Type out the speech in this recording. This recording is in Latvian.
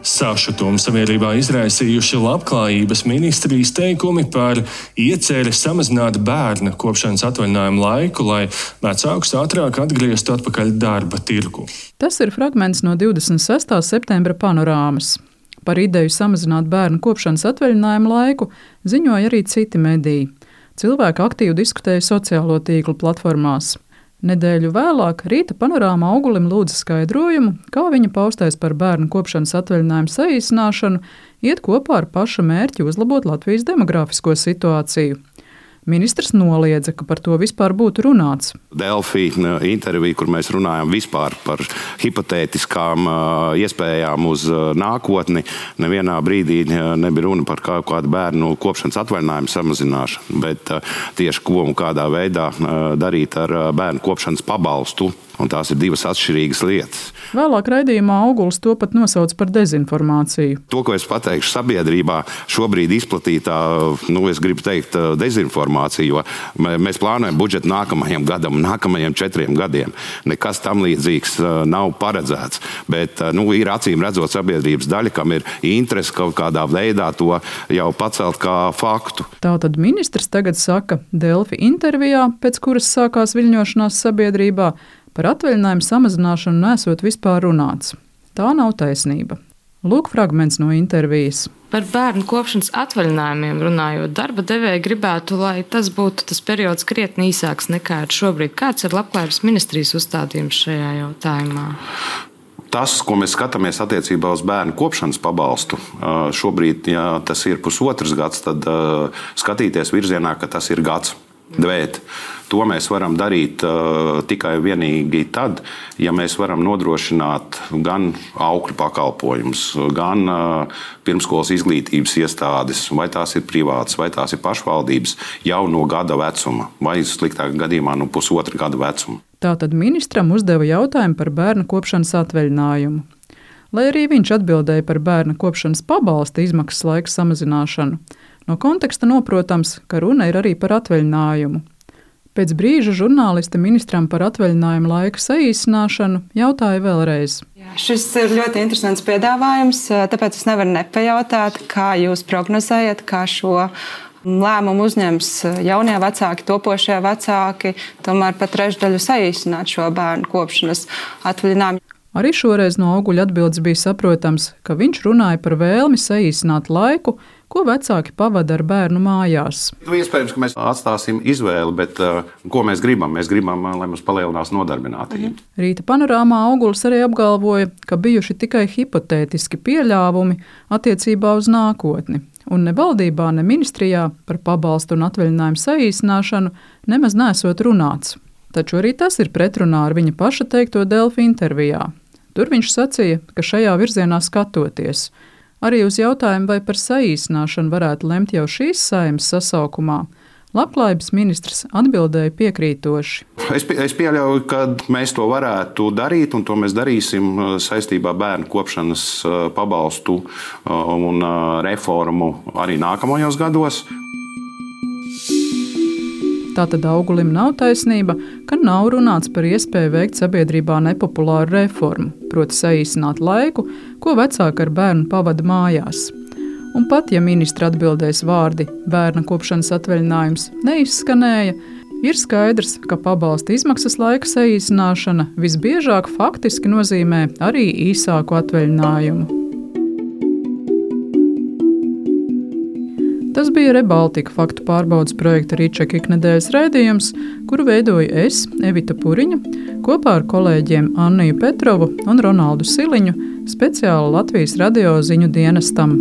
Sašutumu sabiedrībā izraisījuši Labklājības ministrijas teikumi par ieceri samazināt bērna kopšanas atvaļinājumu laiku, lai vecākus ātrāk atgrieztu atpakaļ darba tirgu. Tas ir fragments no 26. septembra panorāmas. Par ideju samazināt bērnu kopšanas atvaļinājumu laiku ziņoja arī citi mediji. Cilvēki aktīvi diskutēja sociālo tīklu platformās. Nedēļu vēlāk Rīta panorāmā Augulim lūdza skaidrojumu, kā viņa paustais par bērnu kopšanas atvaļinājumu saīsināšanu iet kopā ar paša mērķi uzlabot Latvijas demografisko situāciju. Ministrs noliedza, ka par to vispār būtu runāts. Delfi intervija, kur mēs runājam vispār par hipotētiskām iespējām uz nākotni, nevienā brīdī nebija runa par kādu bērnu kopšanas atvaļinājumu samazināšanu, bet tieši ko un kādā veidā darīt ar bērnu kopšanas pabalstu. Un tās ir divas atšķirīgas lietas. Vēlāk raidījumā Auguls to pat nosauc par dezinformāciju. To, ko es pateikšu sabiedrībā, šobrīd izplatītā, es gribu teikt, dezinformācija, jo mēs plānojam budžetu nākamajam gadam, nākamajiem 4 gadiem. Nekas tam līdzīgs nav paredzēts, bet ir acīm redzot sabiedrības daļa, kam ir interese kaut kādā veidā to jau pacelt kā faktu. Tātad ministrs tagad saka Delfi intervijā, pēc kuras sākās viļņošanās sabiedrībā, par atvaļinājumu samazināšanu nesot vispār runāts. Tā nav taisnība. Lūk fragments no intervijas. Par bērnu kopšanas atvaļinājumiem runājot, darba devēji gribētu, lai tas būtu tas periods krietni īsāks nekā ir šobrīd. Kāds ir Labklājības ministrijas uzstādījums šajā jautājumā? Tas, ko mēs skatāmies attiecībā uz bērnu kopšanas pabalstu, šobrīd, ja tas ir pusotrs gads, tad skatīties virzienā, ka tas ir gads. Bet to mēs varam darīt tikai vienīgi tad, ja mēs varam nodrošināt gan aukļu pakalpojumus, gan pirmskolas izglītības iestādes, vai tās ir privātas, vai tās ir pašvaldības, jau no gada vecuma, vai sliktāk gadījumā no pusotra gada vecuma. Tātad ministram uzdeva jautājumu par bērnu kopšanas atvaļinājumu. Lai arī viņš atbildēja par bērna kopšanas pabalsta izmaksas laika samazināšanu, no konteksta noprotams, ka runa ir arī par atvaļinājumu. Pēc brīža žurnāliste ministram par atvaļinājumu laika saīsināšanu jautāja vēlreiz. Šis ir ļoti interesants piedāvājums, tāpēc es nevaru nepajautāt, kā jūs prognozējat, kā šo lēmumu uzņems jaunie vecāki, topošie vecāki, tomēr pat trešdaļu saīsināt šo bērnu kopšanas atvaļinājumu. Arī šoreiz no Auguļa atbildes bija saprotams, ka viņš runāja par vēlmi saīsināt laiku, ko vecāki pavada ar bērnu mājās. Iespējams, ka mēs atstāsim izvēli, bet ko mēs gribam? Mēs gribam, lai mums palielinās nodarbinātība. Rīta panorāmā Auguls arī apgalvoja, ka bijuši tikai hipotētiski pieļāvumi attiecībā uz nākotni, un ne valdībā, ne ministrijā par pabalstu un atvaļinājumu saīsināšanu nemaz nesot runāts. Taču arī tas ir pretrunā ar viņa paša teikto Delfi intervijā. Tur viņš sacīja, ka šajā virzienā skatoties. Arī uz jautājumu, vai par saīsināšanu varētu lemt jau šīs Saeimas sasaukumā, Labklājības ministrs atbildēja piekrītoši. Es pieļauju, ka mēs to varētu darīt, un to mēs darīsim saistībā bērnu kopšanas pabalstu un reformu arī nākamajos gados. Tātad Augulim nav taisnība, ka nav runāts par iespēju veikt sabiedrībā nepopulāru reformu, proti saīsināt laiku, ko vecāki ar bērnu pavada mājās. Un pat, ja ministra atbildēs vārdi bērna kopšanas atvaļinājums neizskanēja, ir skaidrs, ka pabalsta izmaksas laika saīsināšana visbiežāk faktiski nozīmē arī īsāku atvaļinājumu. Tas bija Rebaltika faktu pārbaudes projekta Rīčeka iknedēļas raidījums, kuru veidoju es, Evita Puriņa, kopā ar kolēģiem Anniju Petrovu un Ronaldu Siliņu, speciāli Latvijas radio ziņu dienestam.